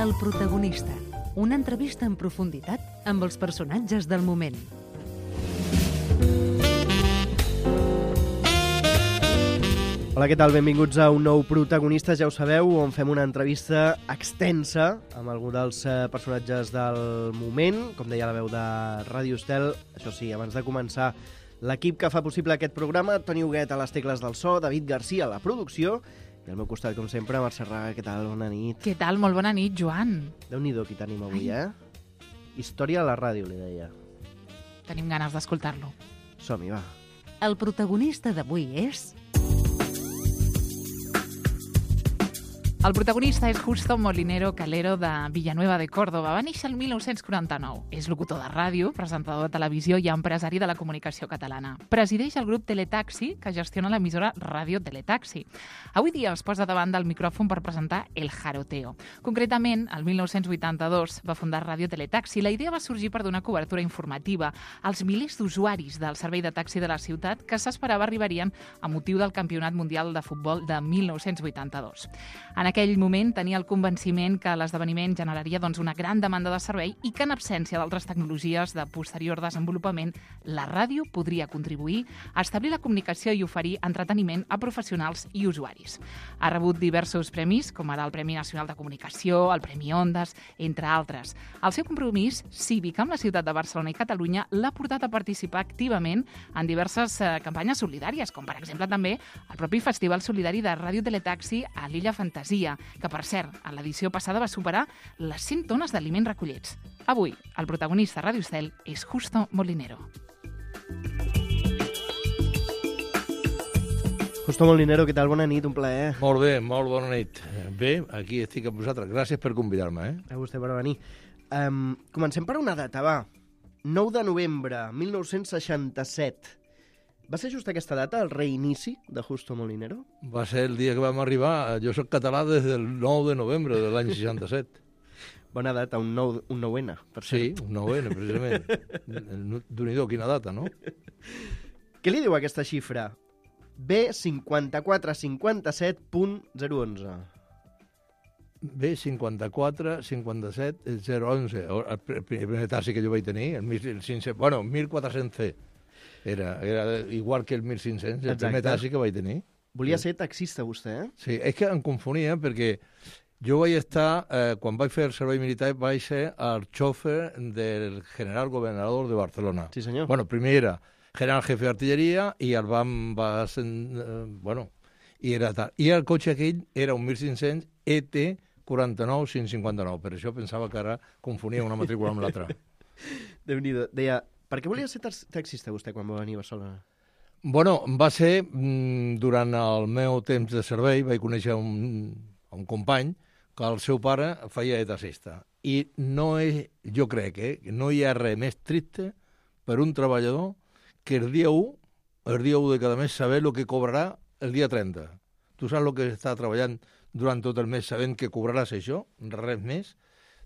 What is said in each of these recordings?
El protagonista. Una entrevista en profunditat amb els personatges del moment. Hola, què tal? Benvinguts a un nou Protagonistes, ja ho sabeu, on fem una entrevista extensa amb algun dels personatges del moment, com deia la veu de Ràdio Estel. Això sí, abans de començar, l'equip que fa possible aquest programa, Toni Huguet a les tecles del so, David Garcia a la producció, i al meu costat, com sempre, Mercè Raga. Què tal? Bona nit. Què tal? Molt bona nit, Joan. Déu-n'hi-do qui tenim avui, Història a la ràdio, li deia. Tenim ganes d'escoltar-lo. Som-hi, va. El protagonista d'avui és... El protagonista és Justo Molinero Calero de Villanueva de Córdoba. Va néixer el 1949. És locutor de ràdio, presentador de televisió i empresari de la comunicació catalana. Presideix el grup Teletaxi, que gestiona l'emissora Ràdio Teletaxi. Avui dia es posa davant del micròfon per presentar El Jaroteo. Concretament, el 1982 va fundar Ràdio Teletaxi. La idea va sorgir per donar cobertura informativa als milers d'usuaris del servei de taxi de la ciutat que s'esperava arribarien a motiu del Campionat Mundial de Futbol de 1982. En aquell moment tenia el convenciment que l'esdeveniment generaria una gran demanda de servei i que en absència d'altres tecnologies de posterior desenvolupament, la ràdio podria contribuir a establir la comunicació i oferir entreteniment a professionals i usuaris. Ha rebut diversos premis, com ara el Premi Nacional de Comunicació, el Premi Ondas, entre altres. El seu compromís cívic amb la ciutat de Barcelona i Catalunya l'ha portat a participar activament en diverses campanyes solidàries, com per exemple també el propi Festival Solidari de Ràdio Teletaxi a l'Illa Fantasia, que, per cert, a l'edició passada va superar les 100 tones d'aliments recollits. Avui, el protagonista de Ràdio Estel és Justo Molinero. Justo Molinero, què tal? Bona nit, un plaer. Molt bé, molt bona nit. Bé, aquí estic amb vosaltres. Gràcies per convidar-me. A vostè per venir. Comencem per una data, va. 9 de novembre, 1967. Va ser just aquesta data, el reinici de Justo Molinero? Va ser el dia que vam arribar. Jo soc català des del 9 de novembre de l'any 67. Bona data, un 9N, per cert. Sí, un 9N, precisament. Déu-n'hi-do, quina data, no? Què li diu aquesta xifra? B5457.011. B5457.011. El primer taxi que jo vaig tenir, el 1500, bueno, 1400C. Era igual que el 1500, el primer taxi que vaig tenir. Volia ser taxista, vostè, Sí, és que em confonia perquè jo vaig estar, quan vaig fer el servei militar, vaig ser el xòfer del general gobernador de Barcelona. Sí, senyor. Bueno, primer era general jefe d'artilleria i el i era tal. I el cotxe aquell era un 1500 ET 49559, per això pensava que ara confonia una matrícula amb l'altra. Déu-n'hi-do. Deia, per què volia ser taxista vostè quan va venir a Barcelona? Bueno, va ser, durant el meu temps de servei, vaig conèixer un company que el seu pare feia de taxista. I jo crec que no hi ha res més triste per un treballador que el dia 1 de cada mes saber el que cobrarà el dia 30. Tu saps el que està treballant durant tot el mes sabent que cobraràs això? Res més?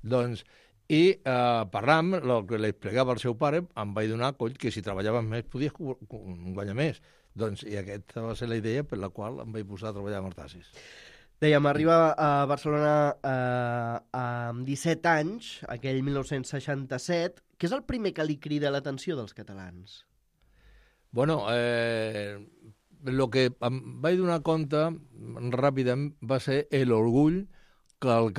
Doncs, i parlant, el que li explicava el seu pare, em vaig donar coll que si treballaves més podies guanyar més. Doncs, i aquesta va ser la idea per la qual em vaig posar a treballar amb els taxis. Dèiem, arriba a Barcelona amb 17 anys, aquell 1967. Què és el primer que li crida l'atenció dels catalans? Bueno, el que em vaig donar compte ràpidament va ser l'orgull que els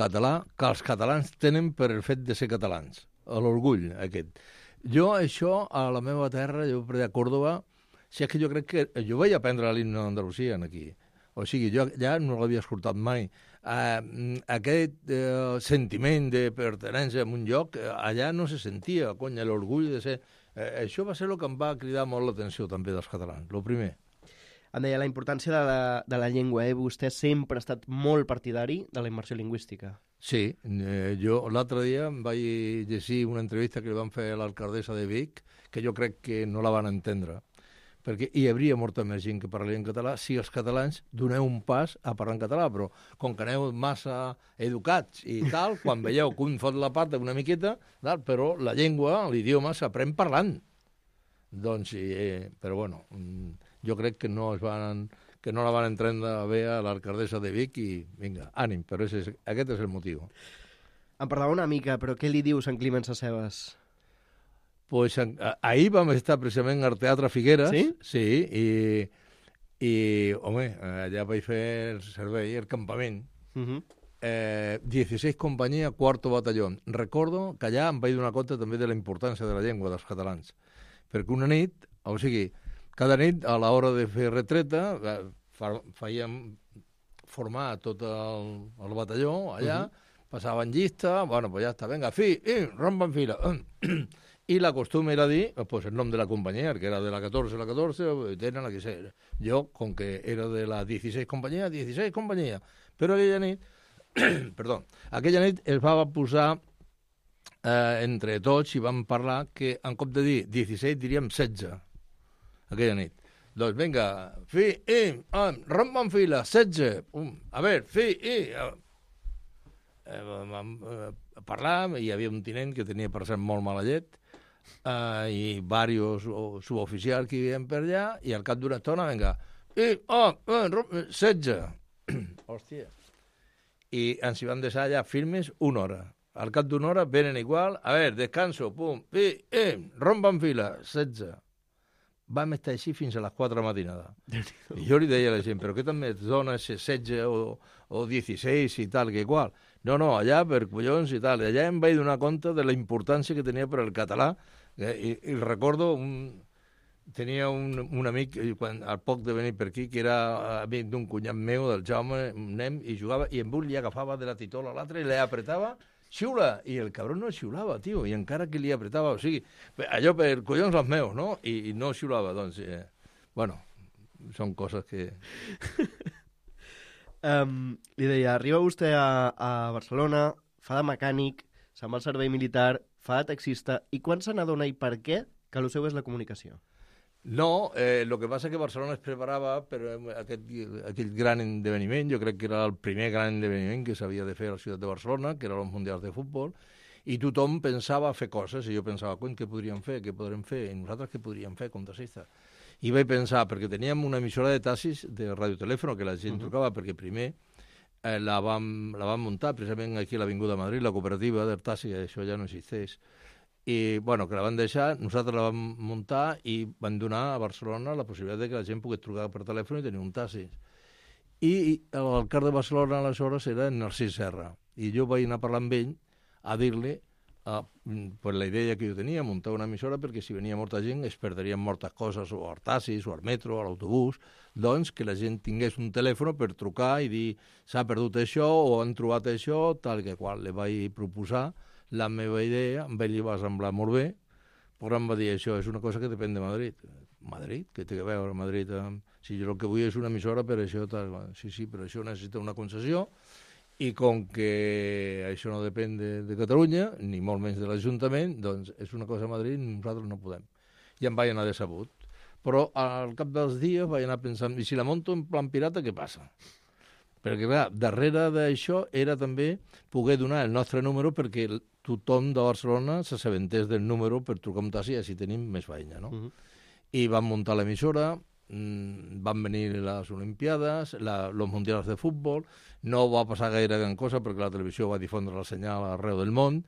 catalans tenen per el fet de ser catalans. L'orgull aquest. Jo això, a la meva terra, jo a Còrdoba, si és que jo crec que... Jo vaig aprendre l'himne d'Andalusia aquí. O sigui, jo ja no l'havia escoltat mai. Aquest sentiment de pertinença a un lloc, allà no se sentia, conya, l'orgull de ser... Això va ser el que em va cridar molt l'atenció també dels catalans, el primer. Em deia la importància de la llengua. Vostè sempre ha estat molt partidari de la immersió lingüística. Sí, jo l'altre dia em vaig llegir una entrevista que li van fer a l'alcaldessa de Vic, que jo crec que no la van entendre, perquè hi hauria molta més gent que parlaria en català si els catalans doneu un pas a parlar en català, però com que aneu massa educats i tal, quan veieu que un fot la pata una miqueta, tal, però la llengua, l'idioma, s'aprèn parlant. Doncs, però bueno, jo crec que no la van entendre bé a l'alcaldessa de Vic i vinga, ànim, però aquest és el motiu. Em parlava una mica, però què li dius en Climent Sacebes? Pues ahir vam estar precisament al Teatre Figueres. Sí? Sí, i home, allà vaig fer el servei, el campament. 16 companyia, 4º batalló. Recordo que allà em vaig donar compte també de la importància de la llengua dels catalans. Perquè una nit, o sigui, cada nit, a l'hora de fer retreta, fèiem formar tot el batalló allà, passaven llista, bueno, pues ja està, venga, rompa en fila. I la costum era dir, pues, el nom de la companyia, que era de la 14, tenen la que sé. Jo, com que era de la 16 companyia, Però aquella nit, perdó, aquella nit es va posar entre tots i vam parlar que en cop de dir 16 diríem 16, aquella nit. Doncs vinga, rompa en fila, 16, a veure, vam parlar, hi havia un tinent que tenia per cert molt mala llet, i diversos suboficials que hi havia per allà, i al cap d'una estona, vinga, 16. Hòstia. I ens hi van deixar allà firmes 1 hora. Al cap d'una hora venen igual, a veure, descanso, rompa en fila, 16. Vam estar així fins a les 4 de matinada. I jo li deia a la gent, però què també et dona 16 o 16 i tal, que igual? No, allà per collons i tal. Allà em vaig donar compte de la importància que tenia per al català. I recordo, tenia un amic, al poc de venir per aquí, que era amic d'un cunyat meu, del Jaume, un nen, i jugava, i en un li agafava de la titola a l'altre i l'apretava, xiula, i el cabron no xiulava, tio, i encara que li apretava, o sigui, allò per collons els meus, no? I no xiulava, doncs, bueno, són coses que... Li deia, arriba vostè a Barcelona, fa de mecànic, se'n va al servei militar, fa de taxista, i quan se n'adona i per què que el seu és la comunicació? No, el que passa que Barcelona es preparava per aquell gran esdeveniment, jo crec que era el primer gran esdeveniment que s'havia de fer a la ciutat de Barcelona, que eren els Mundials de Futbol, i tothom pensava fer coses, i jo pensava, què podríem fer, què podrem fer, i nosaltres què podríem fer com taxistes? I vaig pensar, perquè teníem una emissora de taxis de radiotelèfon, que la gent trucava, perquè primer la vam muntar precisament aquí a l'Avinguda Madrid, la cooperativa del taxi, això ja no existeix, i bueno, que la van deixar, nosaltres la vam muntar i van donar a Barcelona la possibilitat de que la gent pogués trucar per telèfon i tenir un taxi. I l'alcalde de Barcelona aleshores era Narcís Serra, i jo vaig anar a parlar amb ell a dir-li pues la idea que jo tenia, muntar una emissora, perquè si venia molta gent es perdrien moltes coses, o al taxis, o al metro, o a l'autobús, doncs que la gent tingués un telèfon per trucar i dir s'ha perdut això o han trobat això, tal que qual. Le vaig proposar la meva idea, amb ell li va semblar molt bé, però em va dir això és una cosa que depèn de Madrid. Madrid? Què té a veure Madrid? Si jo el que vull és una emissora per això, tal. Sí, però això necessita una concessió, i com que això no depèn de Catalunya, ni molt menys de l'Ajuntament, doncs és una cosa a Madrid i nosaltres no podem. I em vaig anar decebut. Però al cap dels dies vaig anar pensant, i si la monto en plan pirata, què passa? Perquè, clar, darrere d'això era també poder donar el nostre número perquè tothom de Barcelona s'assabentés del número per trucar un taxi i així tenim més feina, no? I vam muntar l'emissora, van venir les Olimpiades, los Mundials de Futbol, no va passar gaire gran cosa perquè la televisió va difondre la senyal arreu del món,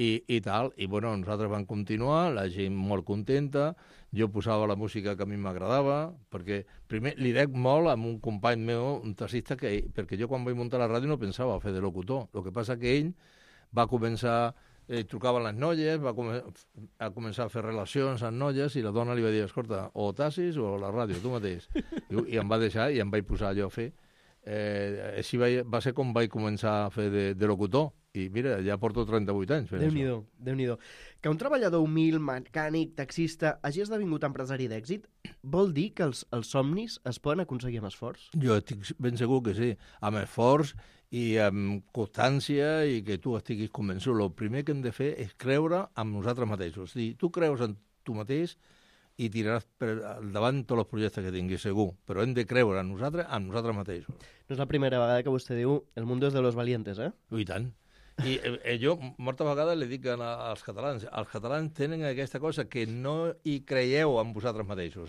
i tal, i bueno, nosaltres vam continuar, la gent molt contenta, jo posava la música que a mi m'agradava, perquè primer li dec molt amb un company meu, un taxista, perquè jo quan vaig muntar la ràdio no pensava fer de locutor, el que passa que ell va començar, trucaven les noies, va començar a fer relacions amb noies, i la dona li va dir, escolta, o taxis o la ràdio, tu mateix. I em va deixar i em vaig posar allò a fer. Així va ser com vaig començar a fer de locutor, i mira, ja porto 38 anys fent això. Déu-n'hi-do. Que un treballador humil, mecànic, taxista, hagi esdevingut empresari d'èxit, vol dir que els somnis es poden aconseguir amb esforç? Jo estic ben segur que sí, amb esforç i amb constància, i que tu estiguis convençut. El primer que hem de fer és creure en nosaltres mateixos. Si tu creus en tu mateix i tiraràs per davant tots els projectes que tinguis, segur. Però hem de creure en nosaltres mateixos. No és la primera vegada que vostè diu el mundo es de los valientes, eh? I tant. I jo moltes vegades li dic als catalans tenen aquesta cosa que no hi creieu en vosaltres mateixos,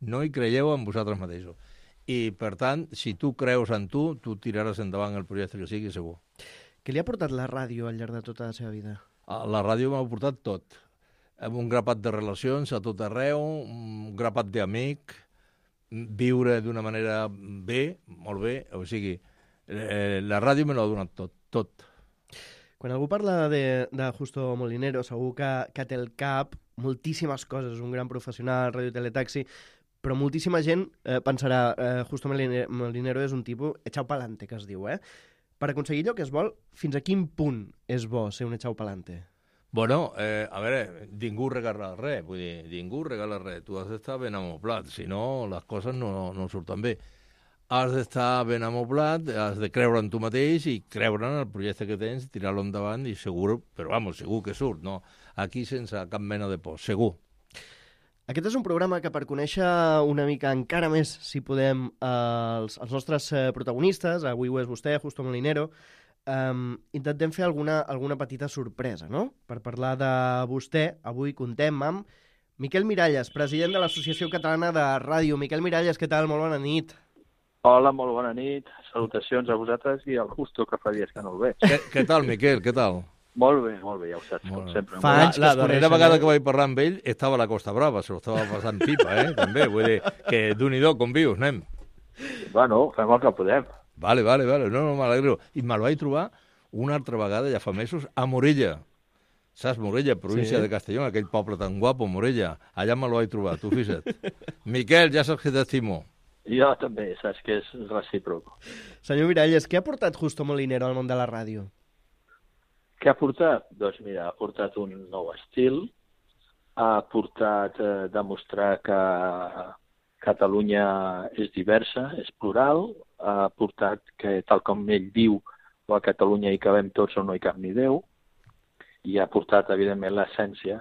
no hi creieu en vosaltres mateixos. I, per tant, si tu creus en tu tiraràs endavant el projecte que sigui, segur. Què li ha portat la ràdio al llarg de tota la seva vida? La ràdio m'ha portat tot. Amb un grapat de relacions a tot arreu, un grapat d'amic, viure d'una manera bé, molt bé, o sigui, la ràdio me l'ha donat tot. Quan algú parla de Justo Molinero, segur que té al cap moltíssimes coses, un gran professional, ràdio teletaxi, però moltíssima gent pensarà Justo Molinero és un tipus echao pa'lante, que es diu, Per aconseguir allò que es vol, fins a quin punt és bo ser un echao pa'lante? Bueno, a veure, ningú regala res, vull dir, ningú regala res. Tu has d'estar ben amoblat, si no, les coses no surten bé. Has d'estar ben amoblat, has de creure en tu mateix i creure en el projecte que tens, tirar-lo endavant i segur, però vamos, segur que surt, no? Aquí sense cap mena de por, segur. Aquest és un programa que per conèixer una mica encara més, si podem, els nostres protagonistes, avui ho és vostè, Justo Molinero, intentem fer alguna petita sorpresa, no? Per parlar de vostè, avui contem amb Miquel Miralles, president de l'Associació Catalana de Ràdio. Miquel Miralles, què tal? Molt bona nit. Hola, molt bona nit. Salutacions a vosaltres i al Justo, que fa dies que no el veig. Què tal, Miquel? Què tal? Molt bé, ja ho saps, com sempre. Fa anys que la es coneixen, darrera vegada que vaig parlar amb ell estava a la Costa Brava, se lo estava passant pipa, també. Vull dir que d'un-i-do, com vius, anem. Bueno, fem el que podem. Vale, no, m'alegro. I me'l vaig trobar una altra vegada, ja fa mesos, a Morella. Saps, Morella, província de Castelló, aquell poble tan guapo, Morella. Allà me'l vaig trobar, tu fixa't. Miquel, ja saps que t'estimo. Jo també, saps que és recíproc. Senyor Miralles, què ha portat Justo Molinero al món de la ràdio? Què ha portat? Doncs mira, ha portat un nou estil, ha portat demostrar que Catalunya és diversa, és plural, ha portat que, tal com ell diu, a Catalunya hi cabem tots o no hi cap ni Déu, i ha portat, evidentment, l'essència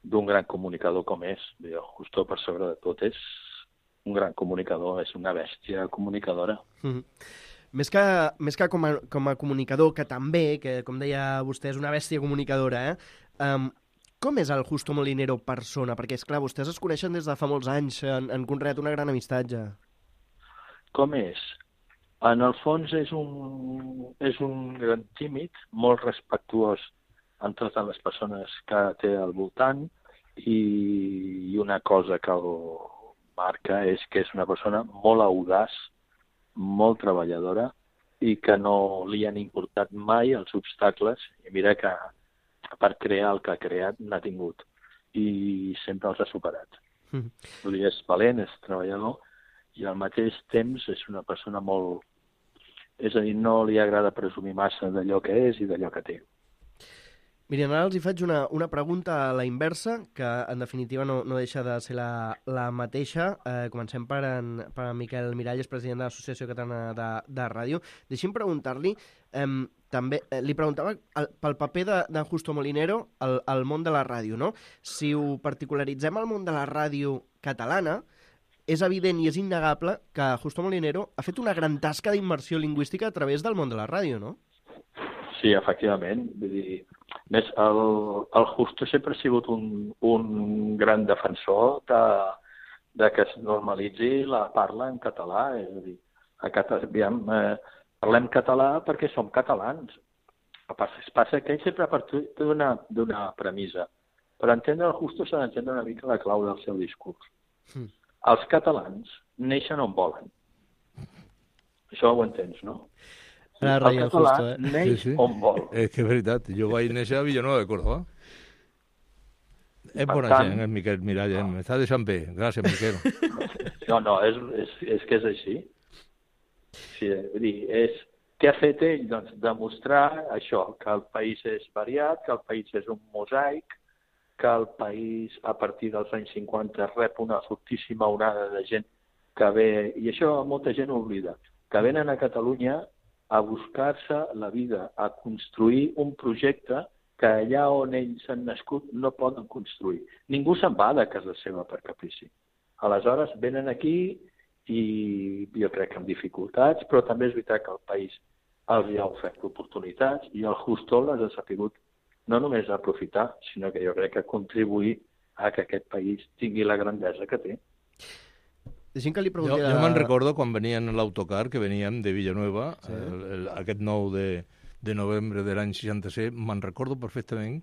d'un gran comunicador com és. Justo, per sobre de tot, és un gran comunicador, és una bèstia comunicadora. Més que com a comunicador, que també, que com deia vostè, és una bèstia comunicadora, com és el Justo Molinero persona? Perquè, esclar, vostès es coneixen des de fa molts anys, han conreat una gran amistat ja. Com és? En el fons és un gran tímid, molt respectuós amb totes les persones que té al voltant, i una cosa que el marca és que és una persona molt audaç, molt treballadora, i que no li han importat mai els obstacles, i mira que per crear el que ha creat n'ha tingut, i sempre els ha superat. Vull dir, és valent, és treballador, i al mateix temps és una persona molt... És a dir, no li agrada presumir massa d'allò que és i d'allò que té. Miren, ara els hi faig una pregunta a la inversa, que en definitiva no deixa de ser la mateixa. Comencem per en Miquel Miralles, president de l'Associació Catalana de Ràdio. Deixi'm preguntar-li, també li preguntava pel paper de Justo Molinero al món de la ràdio, no? Si ho particularitzem al món de la ràdio catalana, és evident i és innegable que Justo Molinero ha fet una gran tasca d'immersió lingüística a través del món de la ràdio, no? Sí, efectivament. Vull dir, més, el Justo sempre ha sigut un gran defensor de que es normalitzi la parla en català. És a dir, parlem català perquè som catalans. Es passa que ell sempre ha partit d'una premissa. Per entendre el Justo s'ha d'entendre una mica la clau del seu discurs. Els catalans neixen on volen. Això ho entens, no? El català neix on vol. És que és veritat, jo vaig néixer a Villanueva de Córdoba. És bona gent, Miquel Miralles, m'està deixant bé. Gràcies, Miquel. No, és que és així. Sí, vull dir, què ha fet ell? Doncs demostrar això, que el país és variat, que el país és un mosaic, que el país, a partir dels anys 50, rep una fortíssima onada de gent que ve, i això molta gent oblida, que venen a Catalunya a buscar-se la vida, a construir un projecte que allà on ells han nascut no poden construir. Ningú se'n va de casa seva per caprici. Aleshores, venen aquí i jo crec que amb dificultats, però també és veritat que el país els ha ofert oportunitats i el Justo les ha sabut no només aprofitar, sinó que jo crec que contribuir a que aquest país tingui la grandesa que té. Deixem que li pregunti... Jo me'n recordo quan venien a l'autocar, que veníem de Villanueva, aquest nou de de novembre de l'any 67, me'n recordo perfectament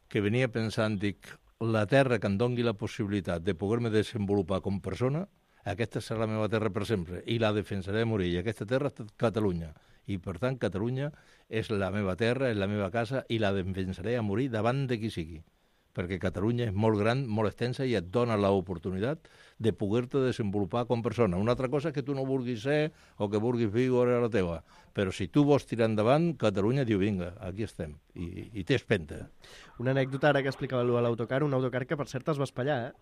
que venia pensant, dic, la terra que em doni la possibilitat de poder-me desenvolupar com persona, aquesta serà la meva terra per sempre, i la defensaré a morir. I aquesta terra és Catalunya. I, per tant, Catalunya és la meva terra, és la meva casa, i la defensaré a morir davant de qui sigui. Perquè Catalunya és molt gran, molt extensa, i et dona l'oportunitat de poder-te desenvolupar com persona. Una altra cosa és que tu no vulguis ser o que vulguis viure a la teva. Però si tu vols tirar endavant, Catalunya diu, vinga, aquí estem, i té espenta. Una anècdota ara que explicava a l'autocar, un autocar que per cert es va espatllar,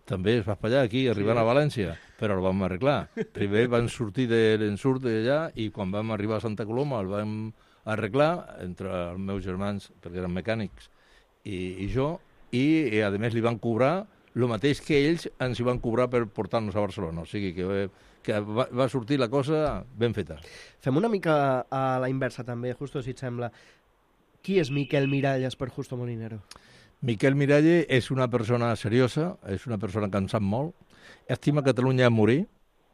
També es va espatllar aquí, arribant a València, però el vam arreglar. Primer van sortir de l'ensurt d'allà i quan vam arribar a Santa Coloma el vam arreglar entre els meus germans, perquè eren mecànics, i jo, i a més li van cobrar el mateix que ells ens hi van cobrar per portar-nos a Barcelona. O sigui que va sortir la cosa ben feta. Fem una mica a la inversa també, Justo, si et sembla. Qui és Miquel Miralles per Justo Molinero? Miquel Miralles és una persona seriosa, és una persona que en sap molt, estima Catalunya a morir,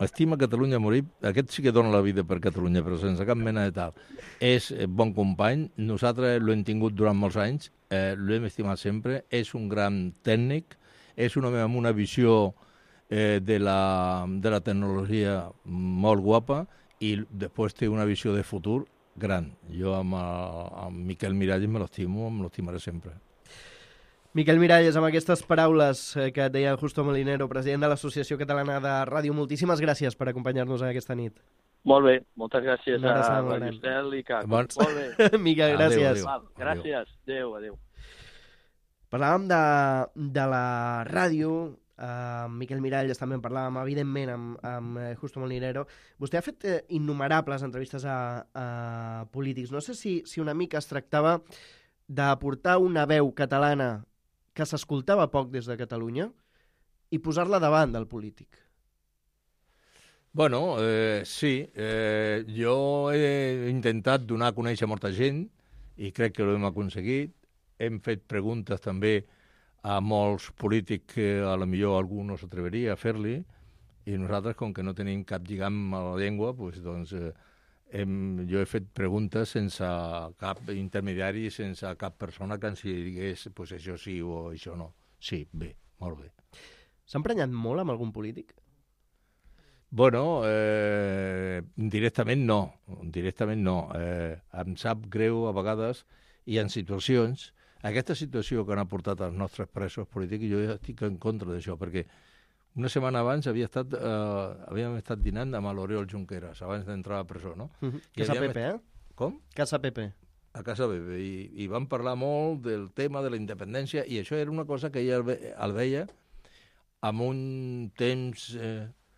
aquest sí que dona la vida per Catalunya, però sense cap mena de tal. És bon company, nosaltres l'hem tingut durant molts anys, l'hem estimat sempre, és un gran tècnic, és un home amb una visió de la tecnologia molt guapa i després té una visió de futur gran. Jo amb Miquel Miralles me l'estimaré sempre. Miquel Miralles, amb aquestes paraules que et deia Justo Molinero, president de l'Associació Catalana de Ràdio, moltíssimes gràcies per acompanyar-nos aquesta nit. Molt bé, moltes gràcies a Radio Estel i CAC. Molt bé. Miquel, gràcies. Gràcies, adéu. Parlàvem de la ràdio, Miquel Miralles també en parlàvem, evidentment, amb Justo Molinero. Vostè ha fet innumerables entrevistes a polítics. No sé si una mica es tractava d'aportar una veu catalana que s'escoltava poc des de Catalunya i posar-la davant del polític. Bueno, sí. Jo he intentat donar a conèixer molta gent i crec que ho hem aconseguit. Hem fet preguntes també a molts polítics que a lo millor algú no s'atreveria a fer-li i nosaltres, com que no tenim cap lligam a la llengua, doncs, jo he fet preguntes sense cap intermediari, sense cap persona que ens digués pues això sí o això no. Sí, bé, molt bé. S'ha emprenyat molt amb algun polític? Bueno, directament no. Em sap greu a vegades i en situacions. Aquesta situació que han aportat els nostres presos polítics, jo ja estic en contra d'això, perquè una setmana abans havíem estat dinant amb l'Oriol Junqueras, abans d'entrar a presó, no? Casa Pepe, Com? Casa Pepe. A Casa Pepe. I van parlar molt del tema de la independència i això era una cosa que ella el veia amb un temps,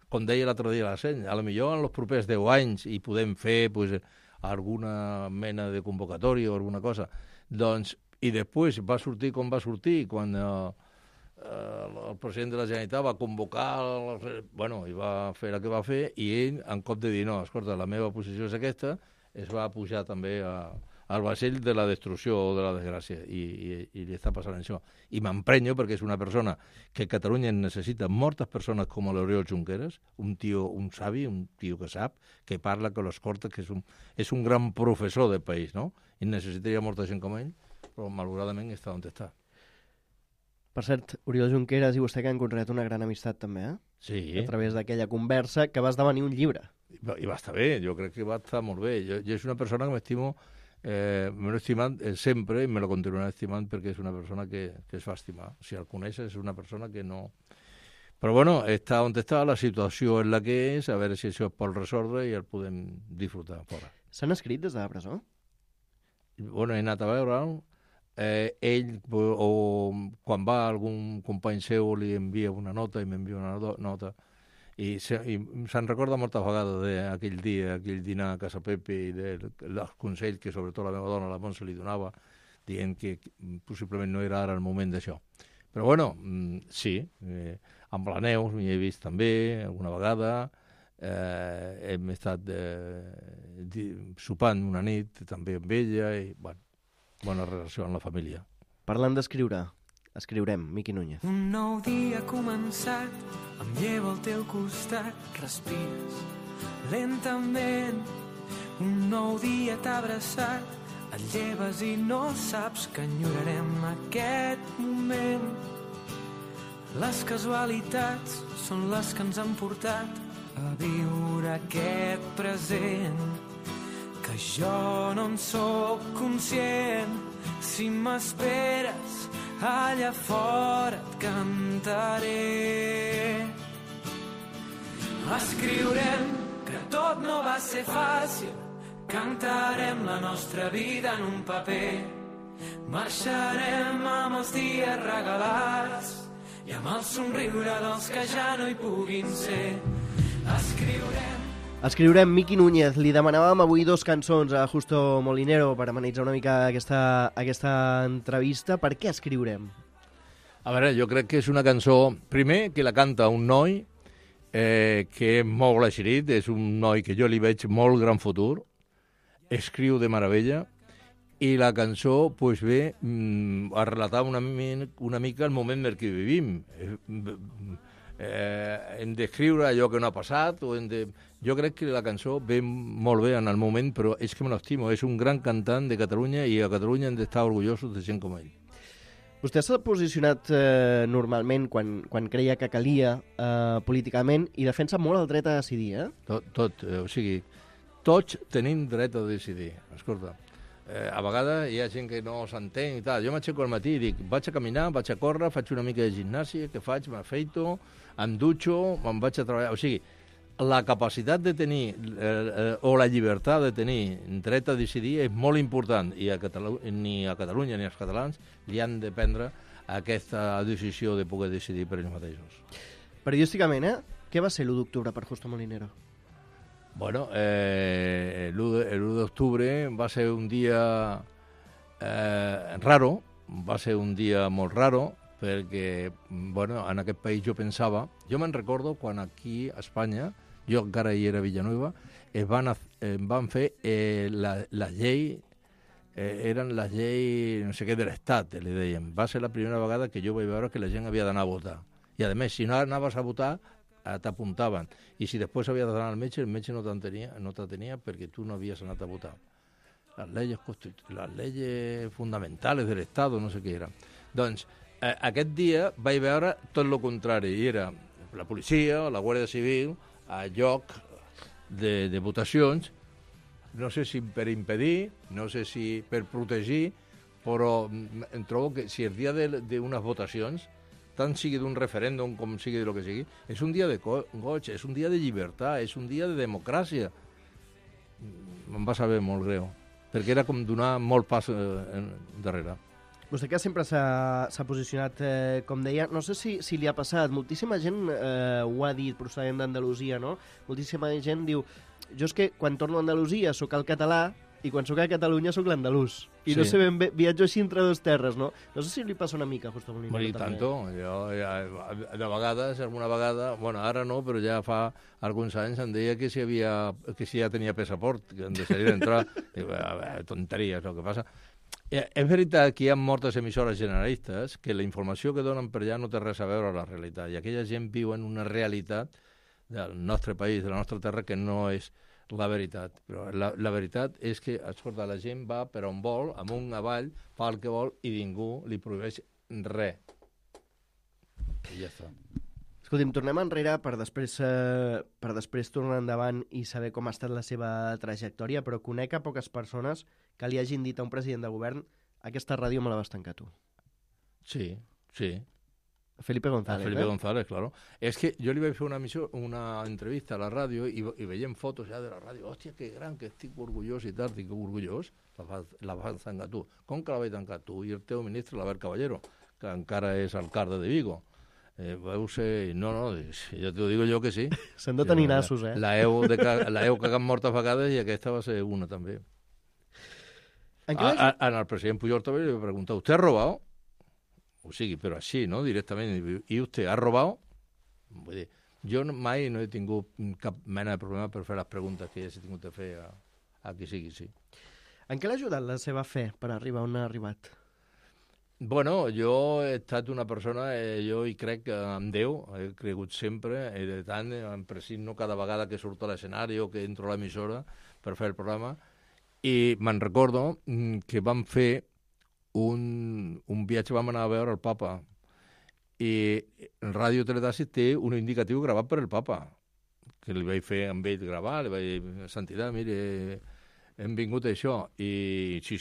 com deia l'altre dia la Seny, a lo millor en els propers 10 anys i podem fer alguna mena de convocatòria o alguna cosa. Doncs, i després va sortir com va sortir, quan el president de la Generalitat va convocar, i va fer el que va fer, i ell, en cop de dir, no, escolta, la meva posició és aquesta, es va pujar també al vaixell de la destrucció o de la desgràcia, i li està passant això. I m'emprenyo perquè és una persona que Catalunya necessita moltes persones com l'Oriol Junqueras, un savi, un tio que sap, que parla, que l'escolta, que és un gran professor del país, no? I necessitaria molta gent com ell, però malauradament està on està. Per cert, Oriol Junqueras i vostè que han construït una gran amistat també, Sí. A través d'aquella conversa que va esdevenir un llibre. I va estar bé, jo crec que va estar molt bé. Jo és una persona que m'estimo, me l'he estimat sempre i me la continuaré estimant perquè és una persona que es fa estimar. Si el coneixes és una persona que no... Però bueno, està on està, la situació és la que és, a veure si això es pot resoldre i el podem disfrutar fora. S'han escrit des de la presó? Bueno, he anat a veure'l. Ell, o quan va algun company seu, li envia una nota i m'envia una nota i se'n recorda moltes vegades d'aquell dia, aquell dinar a Casa Pepe i dels consells que sobretot la meva dona, la Montse, li donava dient que possiblement no era ara el moment d'això. Però bueno, sí, amb la Neus m'hi he vist també alguna vegada, hem estat sopant una nit també amb ella i bueno, bona relació amb la família. Parlant d'escriure, escriurem, Miqui Núñez. Un nou dia ha començat, em llevo al teu costat, respires lentament. Un nou dia t'ha abraçat, et lleves i no saps que enyorarem aquest moment. Les casualitats són les que ens han portat a viure aquest present, que jo no en sóc conscient. Si m'esperes allà fora et cantaré. Escriurem que tot no va ser fàcil, cantarem la nostra vida en un paper, marxarem amb els dies regalats i amb el somriure dels que ja no hi puguin ser. Escriurem Miqui Núñez. Li demanàvem avui 2 cançons a Justo Molinero per amenitzar una mica aquesta entrevista. Per què escriurem? A veure, jo crec que és una cançó, primer, que la canta un noi que és molt eixerit, és un noi que jo li veig molt gran futur, escriu de meravella, i la cançó pues, ve a relatar una mica el moment en què vivim. Hem d'escriure allò que no ha passat, jo crec que la cançó ve molt bé en el moment, però és que me l'estimo, és un gran cantant de Catalunya i a Catalunya hem d'estar orgullosos de gent com ell. Vostè s'ha posicionat normalment quan creia que calia políticament i defensa molt el dret a decidir, O sigui, tots tenim dret a decidir. Escolta, a vegades hi ha gent que no s'entén i tal. Jo m'aixeco al matí i dic, vaig a caminar, vaig a córrer, faig una mica de gimnàsia, què faig? M'afeito, em dutxo, me'n vaig a treballar. O sigui, la capacitat de tenir, o la llibertat de tenir dret a decidir és molt important i ni a Catalunya ni als catalans li han de prendre aquesta decisió de poder decidir per ells mateixos. Periodísticament, què va ser l'1 d'octubre per Justo Molinero? Bueno, l'1 d'octubre va ser un dia raro, va ser un dia molt raro, perquè, bueno, en aquest país jo pensava... Jo me'n recordo quan aquí a Espanya, jo encara hi era a Villanueva, van fer la llei, eren les lleis, no sé què, de l'Estat, li deien. Va ser la primera vegada que jo vaig veure que la gent havia d'anar a votar. I, a més, si no anaves a votar, t'apuntaven. I si després havies d'anar al metge, el metge no t'atenia perquè tu no havies anat a votar. Les leyes fundamentales de l'Estat, no sé què era. Doncs, aquest dia vaig veure tot el contrari. I era la policia, la Guàrdia Civil, a lloc de votacions, no sé si per impedir, no sé si per protegir, però em trobo que si el dia d'unes votacions, tant sigui d'un referèndum com sigui de lo que sigui, és un dia de goig, és un dia de llibertat, és un dia de democràcia. Em va saber molt greu, perquè era com donar molt pas darrere. Vostè que sempre s'ha posicionat, com deia, no sé si li ha passat, moltíssima gent ho ha dit procedent d'Andalusia, no? Moltíssima gent diu, jo és que quan torno a Andalusia sóc el català i quan sóc a Catalunya sóc l'andalús. I sí. No sé ben bé, viatjo així entre 2 terres, no? No sé si li passa una mica, Justo Molinero. I tanto, jo de vegades, alguna vegada, bueno, ara no, però ja fa alguns anys em deia que si ja tenia passaport, que em deixaria d'entrar. Tonteries, el que passa. És veritat que hi ha moltes emissores generalistes que la informació que donen per allà no té res a veure amb la realitat, i aquella gent viu en una realitat del nostre país, de la nostra terra, que no és la veritat. Però la veritat és que, escolta, la gent va per on vol, amunt, avall, fa el que vol i ningú li prohibeix res. I ja està. Escolti'm, tornem enrere per després tornar endavant i saber com ha estat la seva trajectòria, però conec a poques persones que li hagin dit a un president de govern aquesta ràdio me la vas tancar tu. Sí. Felipe González. Felipe González, claro. És que jo li vaig fer una entrevista a la ràdio i veiem fotos ja de la ràdio. Hòstia, que gran, que estic orgullós i tal. Dic, orgullós? La vas tancar tu. Com que la vaig tancar tu? I el teu ministre, l'Albert Caballero, que encara és alcalde de Vigo. Vau ser... No, ja t'ho digo jo que sí. S'han de tenir nassos, La heu cagat moltes vegades i aquesta va ser una també. En el president Pujol també li va preguntar, ¿usted ha robado? O sigui, però així, no?, directament. I vostè ha robat? Vull dir, jo mai no he tingut cap mena de problema per fer les preguntes que ja s'he tingut de fer a qui sigui, sí. En què l'ha ajudat la seva fe per arribar on ha arribat? Bueno, jo he estat una persona, jo hi crec en Déu, he cregut sempre, i de tant em presigno cada vegada que surto a l'escenari o que entro a l'emissora per fer el programa, I me'n recordo que vam fer un viatge, vam anar a veure el papa, i Ràdio Teletàxi té un indicatiu gravat per el papa, que li vaig fer amb ell gravar, li vaig dir, Santidad, mire, hem vingut a això, i sí,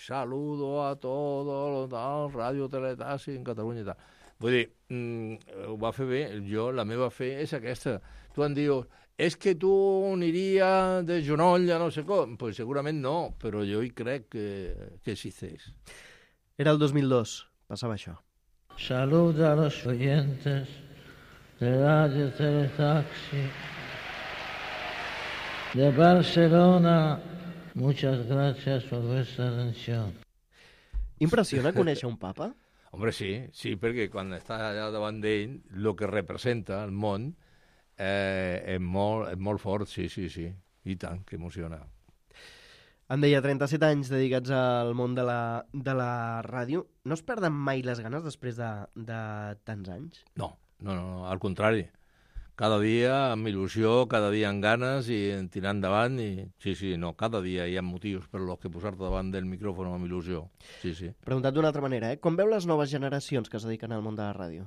saludo a todo tal, Ràdio Teletàxi en Catalunya i tal. Vull dir, ho va fer bé, la meva fe és aquesta. Tu em dius, és que tu aniria de genoll a no sé com. Pues segurament no, però jo hi crec que existeix. Era el 2002, passava això. Salud a los oyentes de Radio Teletaxi de Barcelona. Muchas gracias por vuestra atención. Impressiona conèixer un papa? Hombre, sí, perquè quan estàs allà davant d'ell, el que representa el món és molt fort, sí, i tant, que emociona. Em deia, 37 anys dedicats al món de la ràdio. No es perden mai les ganes després de tants anys? No, al contrari. Cada dia amb il·lusió, cada dia amb ganes i tirant endavant. Cada dia hi ha motius per los que posar-te davant del micròfon amb il·lusió. Sí. Preguntat d'una altra manera, com veu les noves generacions que es dediquen al món de la ràdio?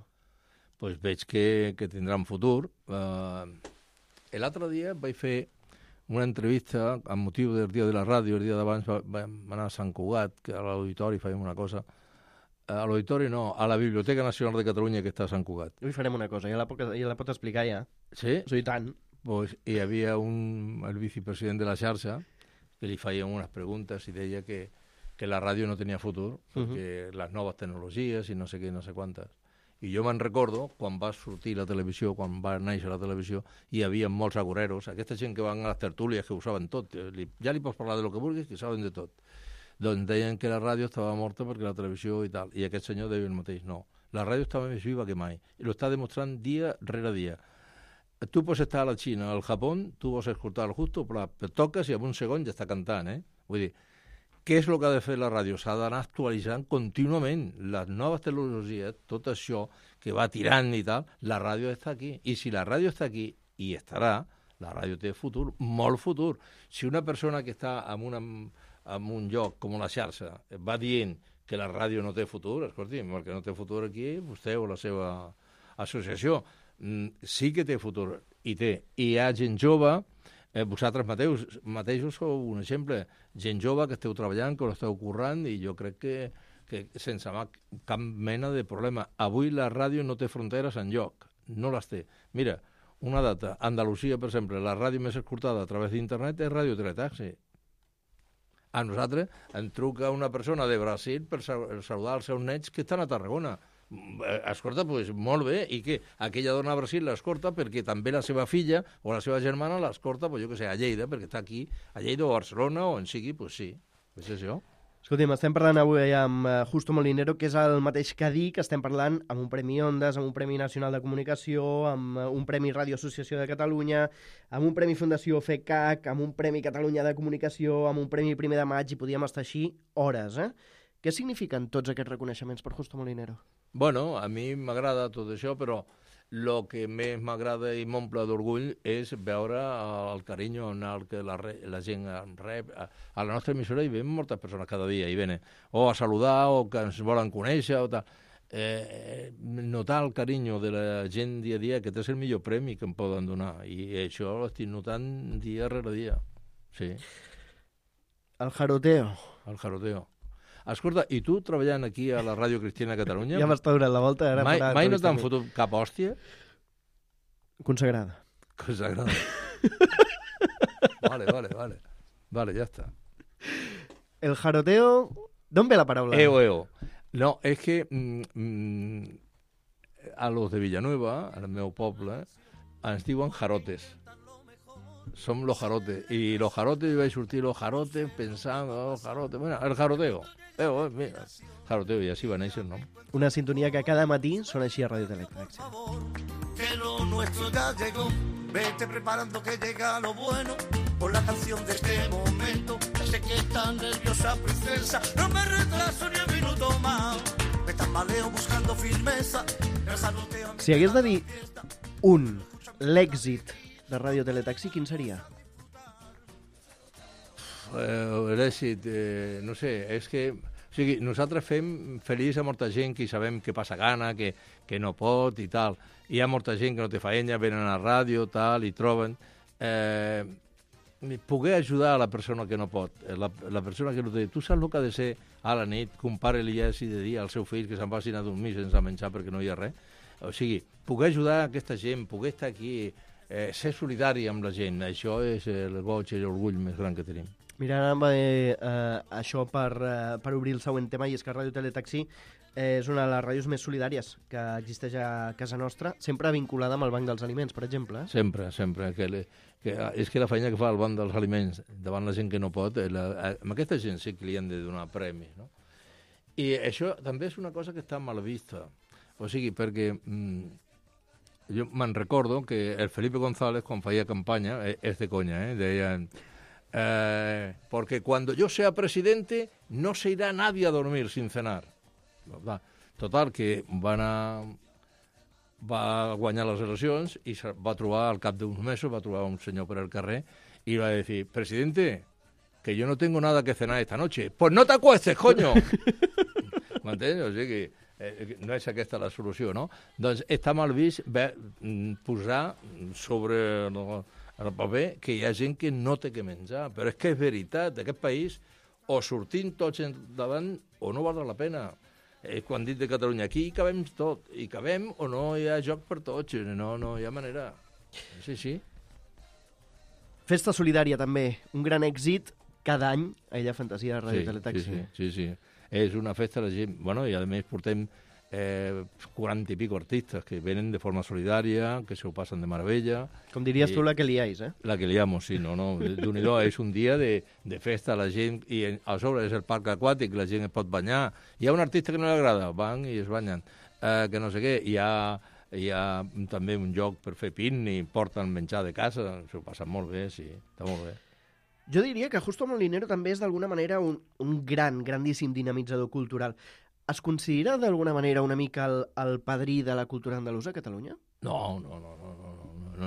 Pues veig que tindran futur. L'altre dia vaig fer una entrevista amb motiu del Dia de la Ràdio. El dia d'abans vam anar a Sant Cugat, que a l'auditori fèiem una cosa. A l'auditori no, a la Biblioteca Nacional de Catalunya, que està a Sant Cugat. Avui farem una cosa, ja la pot explicar ja. Sí? Sí, tant. Pues hi havia el vicepresident de la xarxa que li feien unes preguntes i deia que la ràdio no tenia futur, perquè les noves tecnologies i no sé què, no sé quantes. I jo me'n recordo, quan va sortir la televisió, quan va néixer la televisió, hi havia molts agoreros, aquesta gent que van a les tertúlies que ho saben tot, ja li pots parlar de lo que vulguis, que saben de tot. Doncs deien que la ràdio estava morta perquè la televisió i tal, i aquest senyor deia el mateix, no, la ràdio estava més viva que mai, i lo està demostrant dia rere dia. Tu pots estar a la Xina, al Japó, tu vols escoltar el Justo, però toques i en un segon ja està cantant, Vull dir, què és el que ha de fer la ràdio? S'ha d'anar actualitzant contínuament les noves tecnologies, tot això que va tirant i tal, la ràdio està aquí. I si la ràdio està aquí, i estarà, la ràdio té futur, molt futur. Si una persona que està en un lloc com la xarxa va dient que la ràdio no té futur, escolti'm, el que no té futur aquí, vostè o la seva associació, sí que té futur, i té. I hi ha gent jove, vosaltres mateixos sou un exemple, gent jove que esteu treballant, que l'esteu currant, i jo crec que sense cap mena de problema. Avui la ràdio no té fronteres enlloc, no les té. Mira, una data, Andalusia, per exemple, la ràdio més escoltada a través d'internet és Ràdio Teletaxi. A nosaltres em truca una persona de Brasil per saludar els seus nets que estan a Tarragona. Escolta, doncs molt bé, i què? Aquella dona a Brasil l'escolta perquè també la seva filla o la seva germana l'escolta, jo què sé, a Lleida, perquè està aquí, a Lleida o a Barcelona o on sigui, doncs sí, és això. Escolti'm, estem parlant avui amb Justo Molinero, que és el mateix que dic, estem parlant amb un Premi Ondas, amb un Premi Nacional de Comunicació, amb un Premi Ràdio Associació de Catalunya, amb un Premi Fundació FECAC, amb un Premi Catalunya de Comunicació, amb un Premi 1 de maig, i podíem estar així hores, Què signifiquen tots aquests reconeixements per Justo Molinero? Bueno, a mi m'agrada tot això, però el que més m'agrada i m'omple d'orgull és veure el carinyo amb el que la gent rep. A la nostra emissora hi ven moltes persones cada dia, hi venen o a saludar o que ens volen conèixer o tal. Notar el carinyo de la gent dia a dia, que és el millor premi que em poden donar, i això ho estic notant dia rere dia. Sí. El jaroteo. El jaroteo. Escolta, i tu treballant aquí a la Ràdio Cristiana de Catalunya... Ja m'està donant la volta. Ara mai no t'han fotut cap hòstia? Consagrada. Consagrada. Vale, ya está. El jaroteo... ¿D'on ve la paraula? Eo. No, és que a los de Villanueva, al meu poble, ens diuen jarotes. Som los jarotes. I los jarotes, vaig sortir los jarotes pensant, bueno, el jaroteo. Mira, jaroteo, i així va néixer, no? Una sintonia que cada matí sona així a Ràdio Teletaxi. Que lo nuestro ya llegó, vete preparando que llega lo bueno, por la canción de este momento, ya sé que está nerviosa princesa, no me retraso ni un minuto más, me tambaleo buscando firmeza, el jaroteo... Si hagués de dir l'èxit de Ràdio Teletaxi, quin seria? l'èxit, no sé, és que... O sigui, nosaltres fem feliç a molta gent que sabem que passa gana, que no pot i tal. Hi ha molta gent que no té feina, venen a la ràdio, tal, i troben... poder ajudar a la persona que no pot, la persona que no té... Tu saps el que ha de ser a la nit que un pare li hagi de dir al seu fill que se'n vagin a dormir sense menjar perquè no hi ha res? O sigui, poder ajudar aquesta gent, poder estar aquí, ser solidari amb la gent, això és el goig i l'orgull més gran que tenim. Mira, ara això per obrir el següent tema, i és que Ràdio Teletaxi és una de les ràdios més solidàries que existeix a casa nostra, sempre vinculada amb el Banc dels Aliments, per exemple. Sempre. És que la feina que fa el Banc dels Aliments davant la gent que no pot, amb aquesta gent sí que li han de donar premis, no? I això també és una cosa que està mal vista. O sigui, perquè jo me'n recordo que el Felipe González, quan feia campanya, és de conya, deia... porque cuando yo sea presidente no se irá nadie a dormir sin cenar. Total, que va guanyar les eleccions i va trobar, al cap d'uns mesos, va trobar un senyor per el carrer i va dir, presidente, que yo no tengo nada que cenar esta noche. Pues no te acuestes, coño! M'entens? O sigui que no és aquesta la solució, no? Doncs està mal vist posar sobre el paper que hi ha gent que no té que menjar. Però és que és veritat, aquest país o sortim tots endavant o no val la pena. Quan dit de Catalunya, aquí hi cabem tot, hi cabem o no hi ha joc per tots, no hi ha manera. Sí. Festa solidària també, un gran èxit cada any a Ella Fantasia de Ràdio Teletaxi. Sí. És una festa, la gent... Bueno, i a més portem 40 i pico artistes que venen de forma solidària, que se ho passen de meravella. Com diries tu, la que liáis, La que liamos, sí, no. D'un-i-do, és un dia de festa, la gent, i a sobre és el parc aquàtic, la gent es pot banyar. Hi ha un artista que no li agrada, van i es banyen. Que no sé què, hi ha també un lloc per fer pícnic, porten menjar de casa, s'ho passen molt bé, sí, està molt bé. Jo diria que Justo Molinero també és d'alguna manera un grandíssim dinamitzador cultural. Es considera d'alguna manera una mica el padrí de la cultura andalusa a Catalunya? No,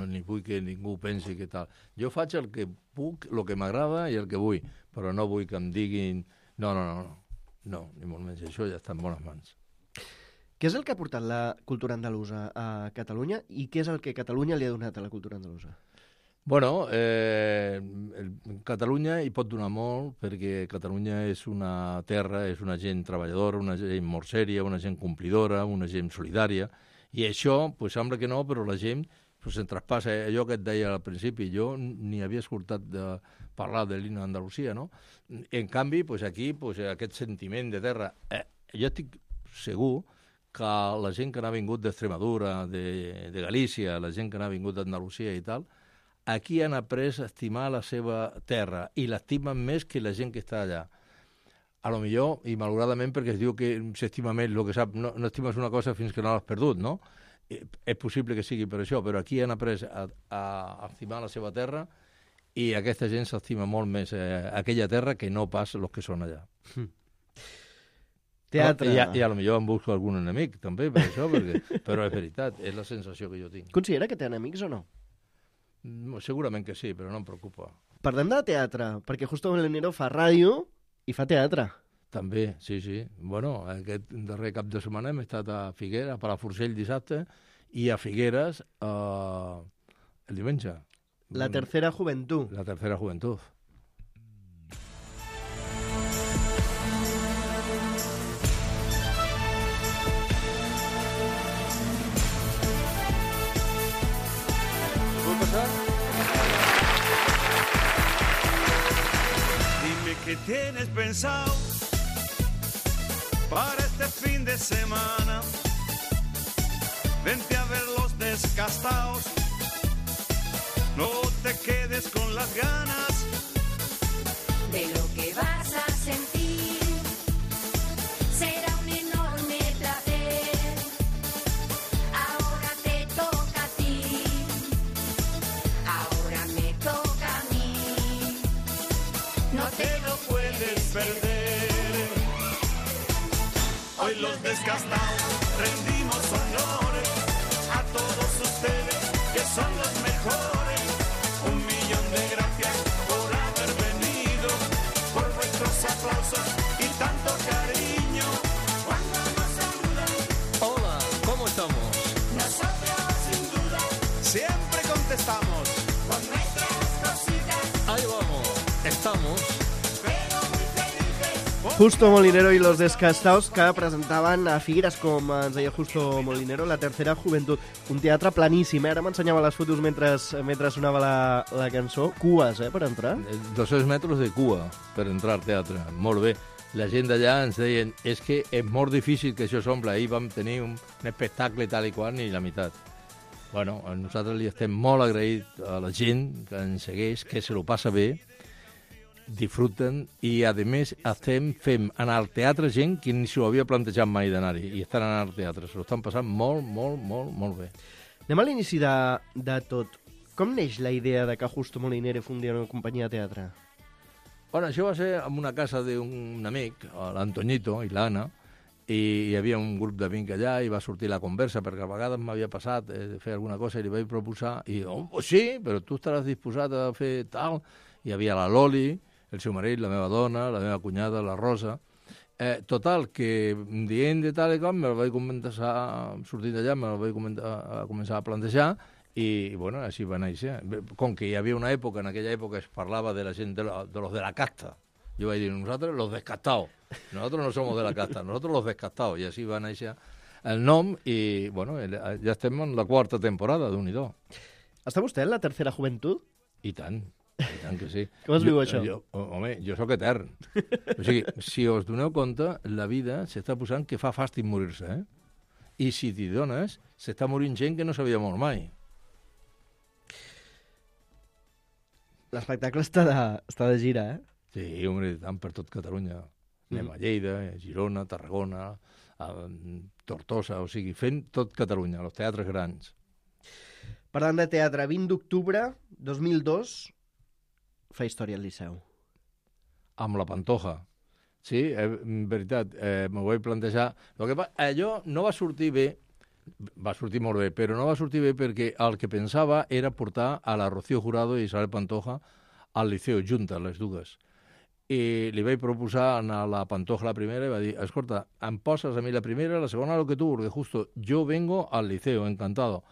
ni vull que ningú pensi que tal. Jo faig el que puc, el que m'agrada i el que vull, però no vull que em diguin... No, ni molt menys, això ja està en bones mans. Què és el que ha portat la cultura andalusa a Catalunya i què és el que Catalunya li ha donat a la cultura andalusa? Bueno, Catalunya hi pot donar molt perquè Catalunya és una terra, és una gent treballadora, una gent molt sèria, una gent complidora, una gent solidària, i això, pues, sembla que no, però la gent pues, se'n traspassa. Allò que et deia al principi, jo ni havia escoltat de parlar de l'himne d'Andalusia, no? En canvi, pues, aquí, pues, aquest sentiment de terra, jo estic segur que la gent que n'ha vingut d'Extremadura, de Galícia, la gent que n'ha vingut d'Andalusia i tal, aquí han après a estimar la seva terra i l'estimen més que la gent que està allà. A lo millor, i malauradament perquè es diu que s'estima més el que sap, no estimes una cosa fins que no l'has perdut, no? És possible que sigui per això, però aquí han après a estimar la seva terra i aquesta gent s'estima molt més aquella terra que no pas els que són allà. Teatre. I a lo millor em busco algun enemic, també, per això, però és veritat, és la sensació que jo tinc. Considera que té enemics o no? Segurament que sí, però no em preocupa. Parlem de teatre, perquè Justo Molinero fa ràdio i fa teatre. També, sí. Bueno, aquest darrer cap de setmana hem estat a Figueres, a Palafrugell dissabte, i a Figueres el diumenge. La tercera joventut. La tercera joventut. Dime qué tienes pensado para este fin de semana. Vente a ver los descastados, no te quedes con las ganas de lo que vas a sentir. Será un enorme placer. Ahora te toca a ti, ahora me toca a mí. No te lo puedes perder. Hoy los descastados rendimos honores a todos ustedes que son los mejores. 1 millón de gracias por haber venido. Justo Molinero i los Descastaos, que presentaven a Figueres, com ens deia Justo Molinero, la tercera joventut. Un teatre planíssim, Ara m'ensenyava les fotos mentre sonava la cançó. Cues, per entrar? 200 metres de cua per entrar al teatre. Molt bé. La gent d'allà ens deien és que és molt difícil que això s'omple. Ahir vam tenir un espectacle tal i qual ni la meitat. Bueno, nosaltres li estem molt agraïts a la gent que ens segueix, que se lo passa bé, disfruten i, a més, fem anar al teatre gent que ni s'ho havia plantejat mai d'anar-hi i estan anant al teatre. Se lo estan passant molt, molt, molt, molt bé. Anem a l'inici de tot. Com neix la idea de que Justo Molinero fundia una companyia de teatre? Bueno, això va ser en una casa d'un amic, l'Antoñito i l'Anna, i hi havia un grup d'amics allà i va sortir la conversa, perquè a vegades m'havia passat de fer alguna cosa i li vaig proposar, i pues sí, però tu estaràs disposat a fer tal. Hi havia la Loli, el seu marit, la meva dona, la meva cunyada, la Rosa. Total, que dient de tal i com, me la vaig començar, sortint d'allà, me la vaig començar a plantejar, i, bueno, així va néixer. Com que hi havia una època, en aquella època es parlava de la gent de los de la casta. Jo vaig dir, nosaltres los descastados. Nosotros no somos de la casta, nosotros los descastados. I així va néixer el nom, i, bueno, ja estem en la quarta temporada, d'un-i-do. Està vostè en la tercera joventut? I tant que sí. Com es viu això? Home, jo sóc etern. O sigui, si us doneu compte, la vida s'està posant que fa fàstic morir-se, I si t'hi dones, s'està morint gent que no s'havia mort mai. L'espectacle està de gira, Sí, home, tant per tot Catalunya. Anem a Lleida, a Girona, Tarragona, a Tortosa, o sigui, fent tot Catalunya, els teatres grans. Parlant de teatre, 20 d'octubre 2002, fa història al Liceu. Amb la Pantoja. Sí, en veritat, m'ho vaig plantejar. Allò no va sortir bé, va sortir molt bé, però no va sortir bé perquè el que pensava era portar a la Rocío Jurado i Isabel Pantoja al Liceu, juntes, les dues. I li vaig proposar a la Pantoja la primera i va dir, escolta, em poses a mi la primera, la segona lo que tu, porque justo yo vengo al Liceo, encantado.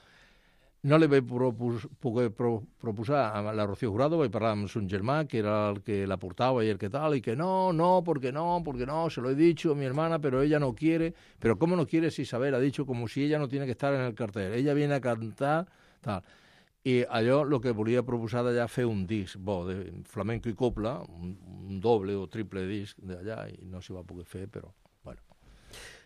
No li vaig poder proposar a la Rocío Jurado, vaig parlar amb son germà, que era el que la portava i el que tal, y que no, porque no, se lo he dicho a mi hermana, pero ella no quiere. Pero ¿cómo no quiere si Isabel ha dicho como si ella no tiene que estar en el cartel? Ella viene a cantar, tal. I allò, el que volia proposar d'allà, fer un disc bo de flamenco i copla, un doble o triple disc d'allà, i no s'hi va poder fer, però, bueno,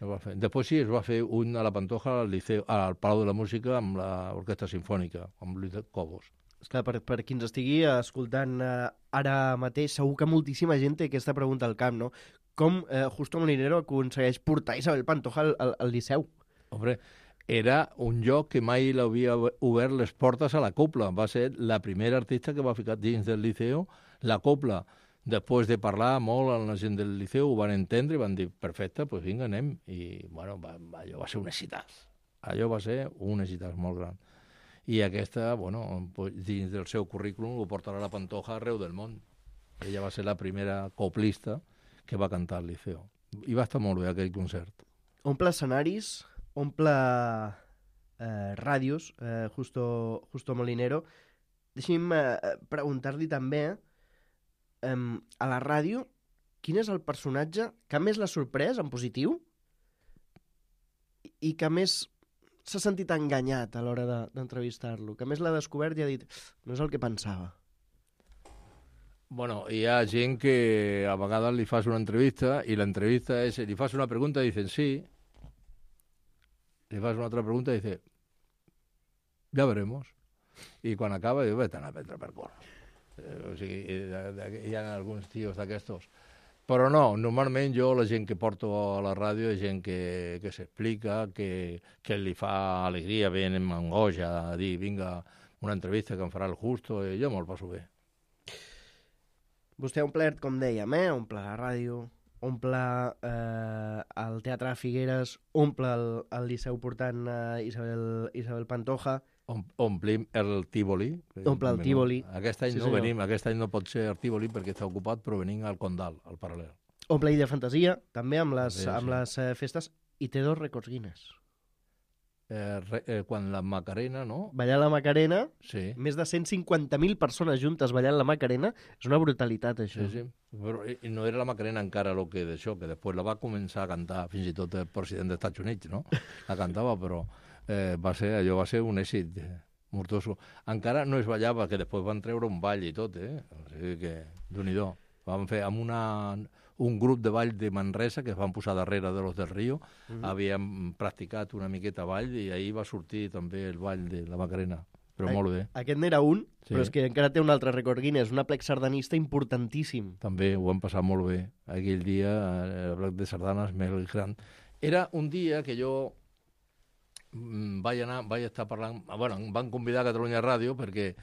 no va fer. Després sí, es va fer un a la Pantoja al Liceu, al Palau de la Música amb l'Orquestra Sinfònica, amb Luis Cobos. Esclar, per qui ens estigui escoltant ara mateix, segur que moltíssima gent té aquesta pregunta al camp, no? Com Justo Molinero aconsegueix portar Isabel Pantoja al Liceu? Hombre, era un lloc que mai l'havia obert les portes a la copla. Va ser la primera artista que va ficar dins del Liceu la copla. Després de parlar molt amb la gent del Liceu, ho van entendre i van dir, perfecte, doncs vinga, anem. I, bueno, allò va ser un èxit. Allò va ser un èxit molt gran. I aquesta, bueno, dins del seu currículum ho portarà la Pantoja arreu del món. Ella va ser la primera coplista que va cantar al Liceu. I va estar molt bé aquell concert. Omple escenaris, omple ràdios, Justo Molinero. Deixi'm preguntar-li també, a la ràdio, quin és el personatge que més l'ha sorprès, en positiu, i que més s'ha sentit enganyat a l'hora d'entrevistar-lo, que més l'ha descobert i ha dit, no és el que pensava? Bueno, hi ha gent que a vegades li fas una entrevista i l'entrevista és, li fas una pregunta i dicen sí, li fas una altra pregunta i dice, ya veremos. I quan acaba, diu, vete a prendre per cor. O sigui, hi ha alguns tios d'aquestos. Però no, normalment jo, la gent que porto a la ràdio és gent que s'explica, que li fa alegria, ven amb angoixa a dir, vinga, una entrevista que em farà el Justo, i jo me'l passo bé. Vostè ha omplert, com dèiem, omple la ràdio, omple el Teatre de Figueres, omple el Liceu portant Isabel Pantoja. Omplim el Tívoli. Omple el Tívoli. Aquest any no venim, aquest any no pot ser el Tívoli perquè està ocupat, però venim al Condal, al Paral·lel. Omple Illa Fantasia, també amb les festes, i té 2 rècords Guinness. quan la Macarena, no? Ballant la Macarena, Sí. més de 150.000 persones juntes ballant la Macarena, és una brutalitat, això. Sí, sí. Però i no era la Macarena encara el que d'això, que després la va començar a cantar fins i tot el president dels Estats Units, no? La cantava, però allò va ser un èxit mortoso. Encara no es ballava, que després van treure un ball i tot, O sigui que, Déu-n'hi-do. Vam fer amb un grup de ball de Manresa que es van posar darrere de los del Río, havíem practicat una miqueta ball i ahir va sortir també el ball de la Macarena, però molt bé. Aquest n'era un, Sí. però és que encara té un altre rècord Guinness, un aplec sardanista importantíssim. També ho vam passar molt bé. Aquell dia, el bloc de sardanes més gran. Era un dia que jo vaig estar parlant... Bueno, em van convidar a Catalunya Ràdio perquè